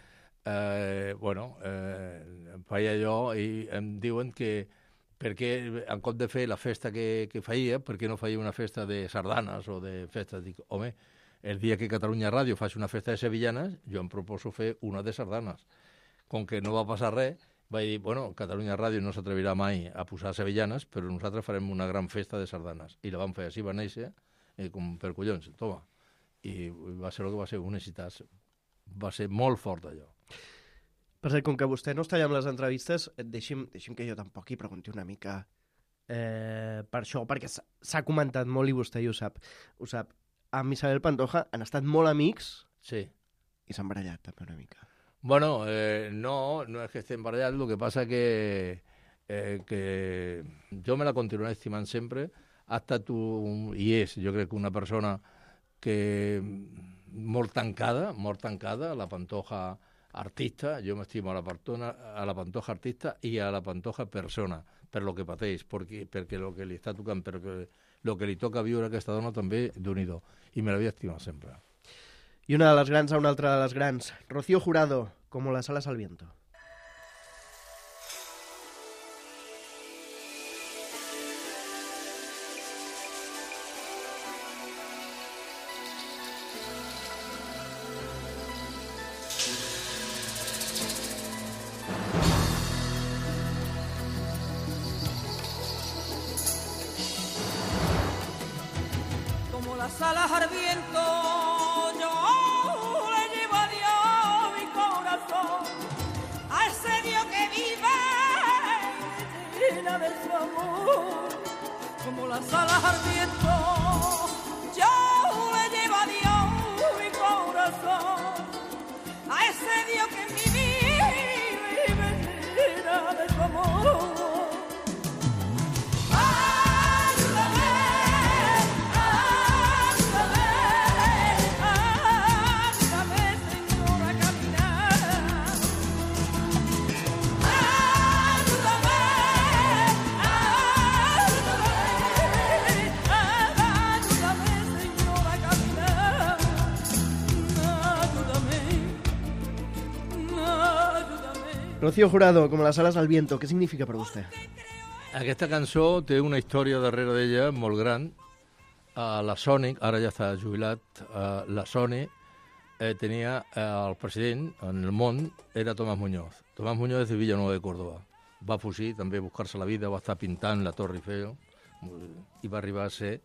feia allò i em diuen que perquè en compte de fer la festa que feia, perquè no feia una festa de sardanes o de festes? Dic, home, el dia que Catalunya Ràdio faci una festa de sevillanes, jo em proposo fer una de sardanes. Com que no va passar res, vaig dir, bueno, Catalunya Ràdio no s'atrevirà mai a posar sevillanes, però nosaltres farem una gran festa de sardanes. I la vam fer, així va néixer, com per collons, toma. I va ser el que va ser un èxit. Va ser molt fort, allò. Per cert, com que vostè no està allà amb les entrevistes, deixi'm que jo tampoc hi pregunti una mica per això, perquè s'ha comentat molt i vostè ho sap. Amb Isabel Pantoja han estat molt amics Sí. i s'han barallat també una mica. Bueno, no es que estén barallats, lo que pasa que jo me la continuaré estimant sempre. Ha estat i és, jo crec que una persona que molt tancada, la Pantoja artista, jo m'estimo a la Pantoja artista i a la Pantoja persona, per lo que pateix, perquè lo que li està tocant, perquè lo que li toca viure a aquesta dona també d'unido, i me l'havia estimat sempre. I una de les grans a una altra de les grans, Rocío Jurado, como las alas al viento. Como las alas al viento, yo le llevo a Dios mi corazón, a ese Dios que vive llena de su amor. Como las alas al viento, yo le llevo a Dios mi corazón, a ese Dios que en mi vida vive llena de su amor. Rocío Jurado, como las alas al viento, què significa per vostè? Aquesta cançó té una història darrere d'ella molt gran. La Sony, ara ja està jubilat, la Sony tenia el president en el món, era Tomás Muñoz. Tomás Muñoz de Villanueva de Córdoba. Va fugir, també a buscar-se la vida, va estar pintant la Torre Eiffel i va arribar a ser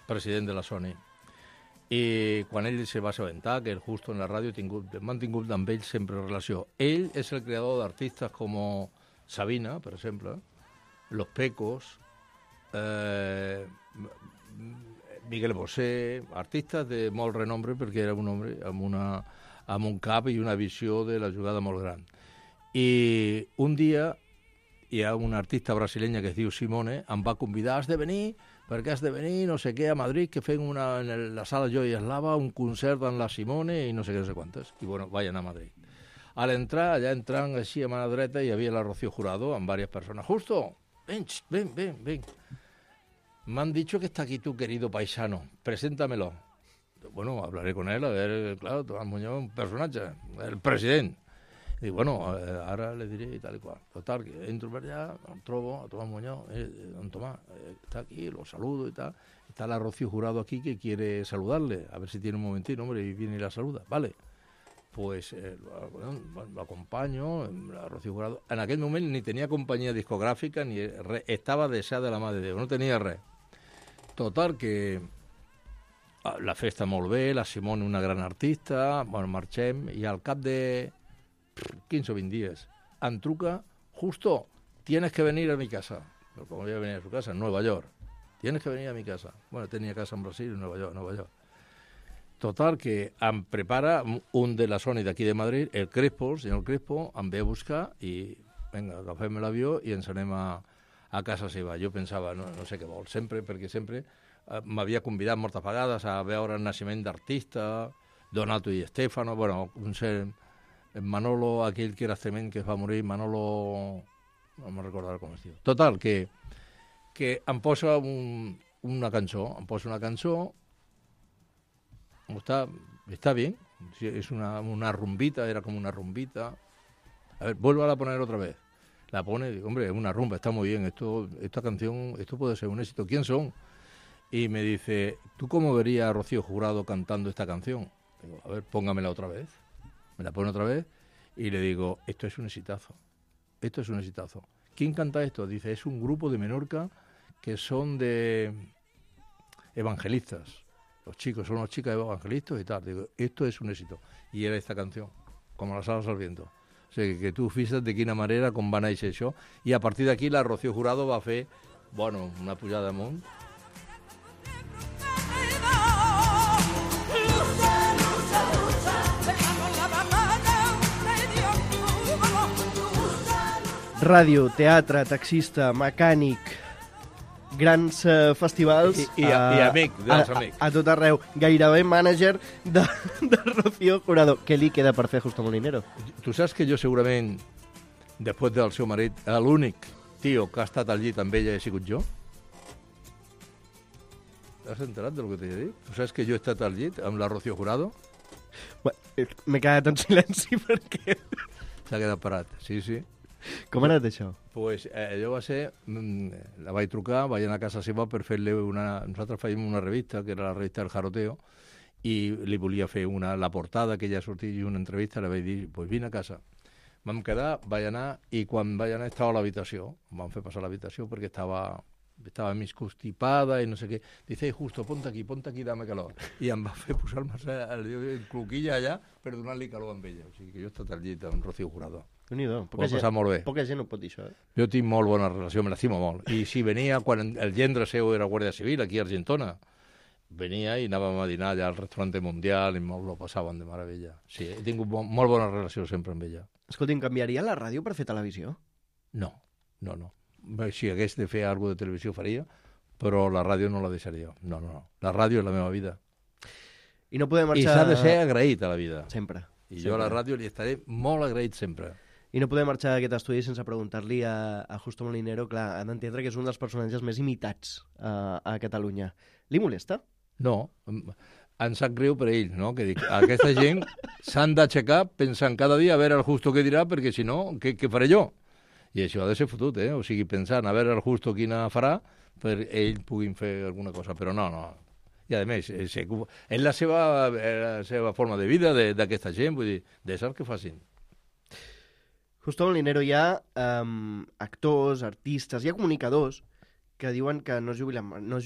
president de la Sony. I quan ell se va assabentar que el Justo en la ràdio hem mantingut amb ell sempre relació. Ell és el creador d'artistes com Sabina, per exemple, Los Pecos, Miguel Bosé, artistes de molt renombre perquè era un home amb un cap i una visió de la jugada molt gran. I un dia hi ha una artista brasilenya que es diu Simone, em va convidar, has de venir, no sé què, a Madrid, que fem en la sala Joy Eslava un concert amb la Simone i no sé què, no sé quantes. I bueno, vaig anar a Madrid. A l'entrar, allà entrant així a mà dreta, hi havia la Rocío Jurado amb diverses persones. Justo, ven. M'han dicho que está aquí tu querido paisano, preséntamelo. Bueno, hablaré con él, a ver, claro, Tomás Muñoz, un personatge, el president. I bueno, ara le diré i tal i qual. Total, que entro per allà, em trobo a Tomás Muñoz, don Tomás, está aquí, lo saludo y tal. Está la Rocío Jurado aquí que quiere saludarle, a ver si tiene un momentito, hombre, y viene y la saluda. Vale, pues lo acompaño, la Rocío Jurado. En aquell moment ni tenia companyia discogràfica, ni res, estava deixada de la mà de Déu, no tenia res. Total, que La festa molt bé, la Simone una gran artista, bueno, marxem, i al cap de 15 o 20 dies em truca, justo, tienes que venir a mi casa. Pero como voy a venir a su casa, en Nueva York. Tienes que venir a mi casa. Bueno, tenía casa en Brasil, en Nueva York. Total, que em prepara un de la Sony d'aquí de Madrid, el Crespo, el senyor Crespo, em ve a buscar i, vinga, agafem l'avió i ens anem a casa seva. Jo pensava, no sé què vol, perquè sempre m'havia convidat moltes vegades a veure el naixement d'artista, Donato i Stefano, bueno, Manolo, aquell que era cement que es va morir, Manolo, no me'n recordaré com es diu. Total, que em posa una cançó, está bien, es una rumbita, era como una rumbita. A ver, vuelvo a poner otra vez. La pone, digo, hombre, es una rumba, está muy bien, esta canción, esto puede ser un éxito. ¿Quién son? Y me dice, ¿tú cómo verías a Rocío Jurado cantando esta canción? Digo, a ver, póngamela otra vez. Me la pone otra vez y le digo, esto es un exitazo. ¿Quién canta esto? Dice, es un grupo de Menorca que son de evangelistas. Los chicos son unos chicas evangelistas y tal. Digo, esto es un éxito. Y era esta canción, como las alas al viento. O sea, que tu fixa't de quina manera com va néixer això. I a partir d'aquí la Rocío Jurado va fer, bueno, una pujada amunt. Ràdio, teatre, taxista, mecànic, grans festivals i amic, dels amics. A tot arreu. Gairebé mànager de Rocío Jurado. Què li queda per fer Justo Molinero? Tu saps que jo segurament, després del seu marit, l'únic tio que ha estat al llit amb ella he sigut jo? T'has enterat del que t'he dit? Tu saps que jo he estat al llit amb la Rocío Jurado? M'he quedat en silenci perquè... S'ha quedat parat, sí. Com ha anat això? Pues allò va ser... La vaig trucar, vaig anar a casa seva per fer-li una... Nosaltres fèiem una revista, que era la revista El Jaroteo, i li volia fer la portada, que ella sortia i una entrevista, li vaig dir, pues vine a casa. Vam quedar, vaig anar, i quan vaig anar estava a l'habitació. Em van fer passar a l'habitació perquè estava mig constipada i no sé què. Dice, Justo, ponte aquí, dame calor. I em va fer posar-me el cloquilla allà per donar-li calor amb ella. O sigui que jo he estat al llit amb Rocío Jurado. Déu-n'hi-do, poca gent ho pot dir, això, eh? Jo tinc molt bona relació, me l'estimo molt. I si venia, quan el gendre seu era Guàrdia Civil, aquí a Argentona, venia i anàvem a dinar allà al restaurante Mundial i molt lo passaven de meravella. Sí, he tingut molt bona relació sempre amb ella. Escolti'm, canviaria la ràdio per fer televisió? No. Si hagués de fer alguna de televisió faria, però la ràdio no la deixaria. No. La ràdio és la meva vida. I no podem marxar... I s'ha de ser agraït a la vida. Sempre. I jo a la ràdio li estaré molt agraït sempre. I no podem marxar d'aquest estudi sense preguntar-li a Justo Molinero, clar, han d'entendre que és un dels personatges més imitats a Catalunya. Li molesta? No, em sap greu per ell, no? Que dic, aquesta gent s'han d'aixecar pensant cada dia a veure el Justo què dirà, perquè si no, què faré jo? I això ha de ser fotut, eh? O sigui, pensant a veure el Justo quina farà per ell puguin fer alguna cosa, però no. I a més, és la seva forma de vida d'aquesta gent, vull dir, deixar que facin. Justo Molinero, hi ha actors, artistes, hi ha comunicadors que diuen que no es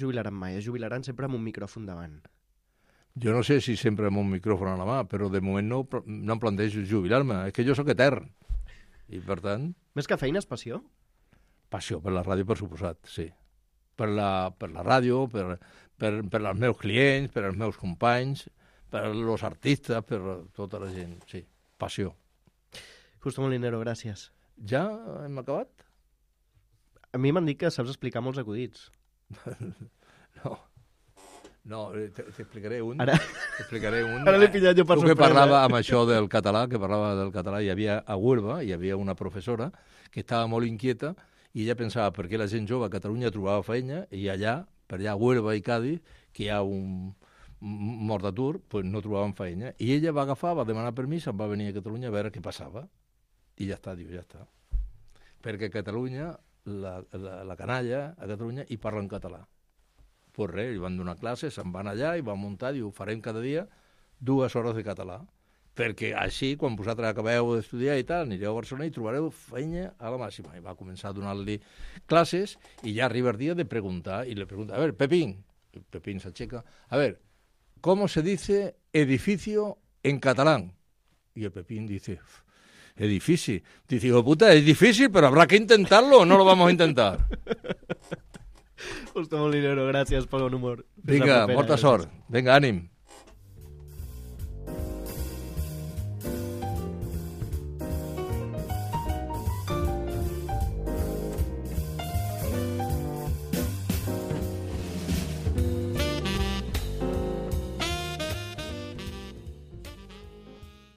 jubilaran mai, es jubilaran sempre amb un micròfon davant. Jo no sé si sempre amb un micròfon a la mà, però de moment no em plantejo jubilar-me. És que jo sóc etern. I per tant... Més que feina és passió? Passió per la ràdio, per suposat, sí. Per la ràdio, per els meus clients, per els meus companys, per els artistes, per tota la gent, sí. Passió. Justo Molinero, gràcies. Ja hem acabat? A mi m'han dit que saps explicar molts acudits. No, t'explicaré un. Ara l'he pillat jo per sorpresa. Tu que parlava amb això del català, hi havia a Huelva, hi havia una professora que estava molt inquieta i ella pensava per què la gent jove a Catalunya trobava feina i allà, per allà a Huelva i Cádiz, que hi ha un mort d'atur, pues no trobaven feina. I ella va agafar, va demanar permís, va venir a Catalunya a veure què passava. I ja està, ja està. Perquè a Catalunya, la canalla, a Catalunya, hi parla en català. Pues res, li van donar classes, se'n van allà i van muntar, diu, farem cada dia 2 hores de català. Perquè així, quan vosaltres acabeu d'estudiar i tal, anireu a Barcelona i trobareu feina a la màxima. I va començar a donar-li classes i ja arriba el dia de preguntar. I li pregunta, a veure, Pepín s'aixeca, a veure, ¿cómo se dice edificio en catalán? Y el Pepín dice, edifici. Dice, hijo de puta, es difícil, pero habrá que intentarlo o no lo vamos a intentar. Justo Molinero, gràcies pel bon humor. Vinga, molta sort. Vinga, ànim.